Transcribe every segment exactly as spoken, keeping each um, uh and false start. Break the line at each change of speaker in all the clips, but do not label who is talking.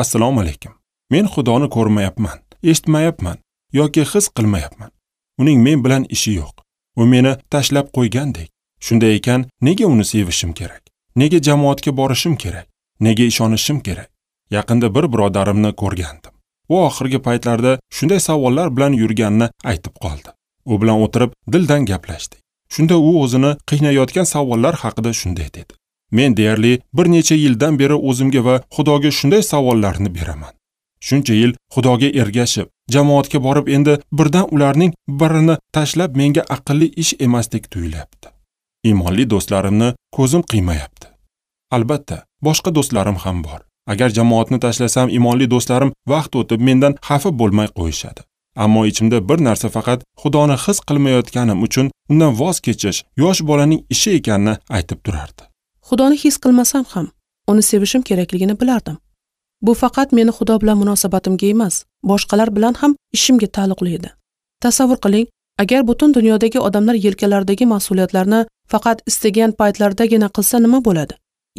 Assalomu alaykum. Men Xudoni ko'rmayapman, eshitmayapman yoki his qilmayapman. Uning men bilan ishi yo'q. U meni tashlab qo'ygandek. Shunday ekan, nega uni sevishim kerak? Nega jamoatga borishim kerak? Nega ishonishim kerak? Yaqinda bir birodarimni ko'rgandim. U oxirgi paytlarda shunday savollar bilan yurganini aytib qoldi. U bilan o'tirib dildan gaplashdik. Shunda u o'zini qiynayotgan savollar haqida shunday dedi. Men deyarli bir necha yildan beri o'zimga va Xudoga shunday savollarni beraman. Shuncha yil Xudoga ergashib, jamoatga borib endi birdan ularning birini tashlab menga aqlli ish emasdek tuyulyapti. Iymonli do'stlarimni ko'zim qiymayapti. Albatta, boshqa do'stlarim ham bor. Agar jamoatni tashlasam, iymonli do'stlarim vaqt o'tib mendan xafa bo'lmay qo'yishadi. Ammo ichimda bir narsa faqat Xudoni his qilmayotganim uchun undan voz kechish yosh bolaning ishi ekanini aytib turardi.
Xudoni his qilmasam ham uni sevishim kerakligini bilardim. Bu faqat meni Xudo bilan munosabatimga emas, boshqalar bilan ham ishimga taalluqli edi. Tasavvur qiling, agar butun dunyodagi odamlar yelkalaridagi mas'uliyatlarni faqat istagan paytlaridagina qilsa nima bo'ladi?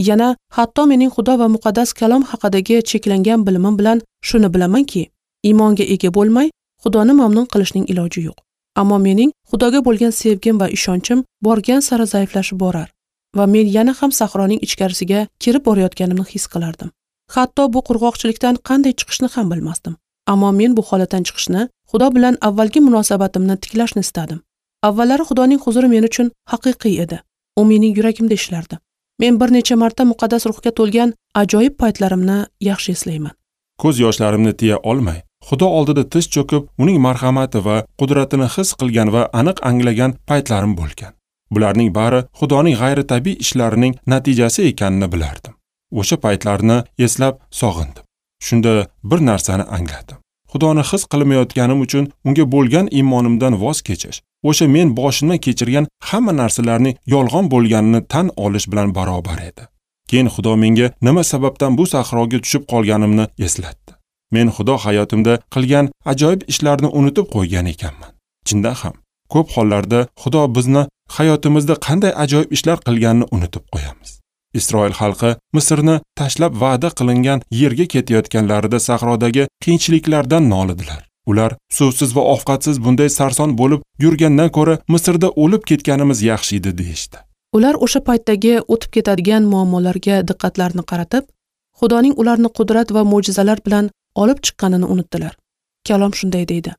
Yana hatto mening Xudo va muqaddas kalom haqidagi cheklangan bilimim bilan shuni bilamanki, iymonga ega bo'lmay Xudoni mamnun qilishning iloji yo'q. Ammo mening Xudoga bo'lgan sevgim va ishonchim borgan sari zaiflashib borar va men yana ham sahroning ichkarisiga kirib borayotganimni his qilardim. Hatto bu qurg'oqchilikdan qanday chiqishni ham bilmasdim. Ammo men bu holatdan chiqishni, Xudo bilan avvalgi munosabatimni tiklashni istadim. Avvallari Xudoning huzuri men uchun haqiqiy edi. U mening yuragimda ishlardi. Men bir necha marta muqaddas ruhga to'lgan ajoyib paytlarimni yaxshi eslayman.
Ko'z yoshlarimni tiya olmay, Xudo oldida tiz cho'kib, uning marhamati va qudratini his qilgan va aniq anglagan paytlarim bo'lgan. Bularning bari Xudoning g'ayritabiiy ishlarining natijasi ekanini bilardim. O'sha paytlarni eslab sog'indim. Shunda bir narsani angladim. Xudoni his qilmayotganim uchun unga bo'lgan iymonimdan voz kechish, o'sha men boshimdan kechirgan hamma narsalarning yolg'on bo'lganini tan olish bilan barobar edi. Keyin Xudo menga nima sababdan bu sahroga tushib qolganimni eslatdi. Men Xudo hayotimda qilgan ajoyib ishlarni unutib qo'ygan ekanman. Chindan ham, ko'p hollarda Xudo bizni hayotimizda qanday ajoyib ishlar qilganini unutib qo'yamiz. Isroil xalqi Misrni tashlab va'da qilingan yerga ketayotganlarida sahrodagi qiyinchiliklardan nolidilar. Ular suvsiz va ovqatsiz bunday sarson bo'lib yurgandan ko'ra Misrda o'lib ketganimiz yaxshi edi deyishdi.
Ular o'sha paytdagi o'tib ketadigan muammolarga diqqatlarini qaratib, Xudoning ularni qudrat va mo'jizalar bilan olib chiqqanini unutdilar. Kalom shunday deydi: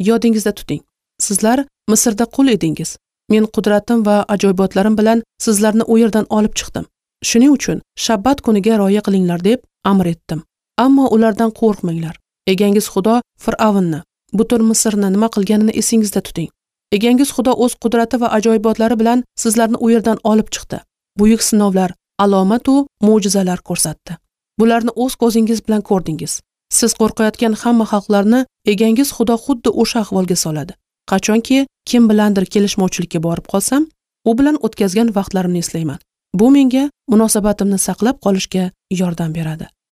Yodingizda tuting. Sizlar Misrda qul edingiz. Men qudratim va ajoyibotlarim bilan sizlarni u yerdan olib chiqdim. Shuning uchun shabbat kuniga rioya qilinglar deb amr etdim. Ammo ulardan qo'rqmanglar. Egangiz Xudo Fir'avnni, butun Misrni nima qilganini esingizda tuting. Egangiz Xudo o'z qudrati va ajoyibotlari bilan sizlarni u yerdan olib chiqdi. Buyuk sinovlar, alomat va mo'jizalar ko'rsatdi. Bularni o'z ko'zingiz bilan ko'rdingiz. Siz qo'rqayotgan hamma xalqlarni egangiz Xudo xuddi o'sha ahvolga soladi. Qachonki kim bilandir kelishmovchilikka borib qolsam, u bilan o'tkazgan vaqtlarimni eslayman. Bu menga munosabatimni saqlab qolishga yordam beradi.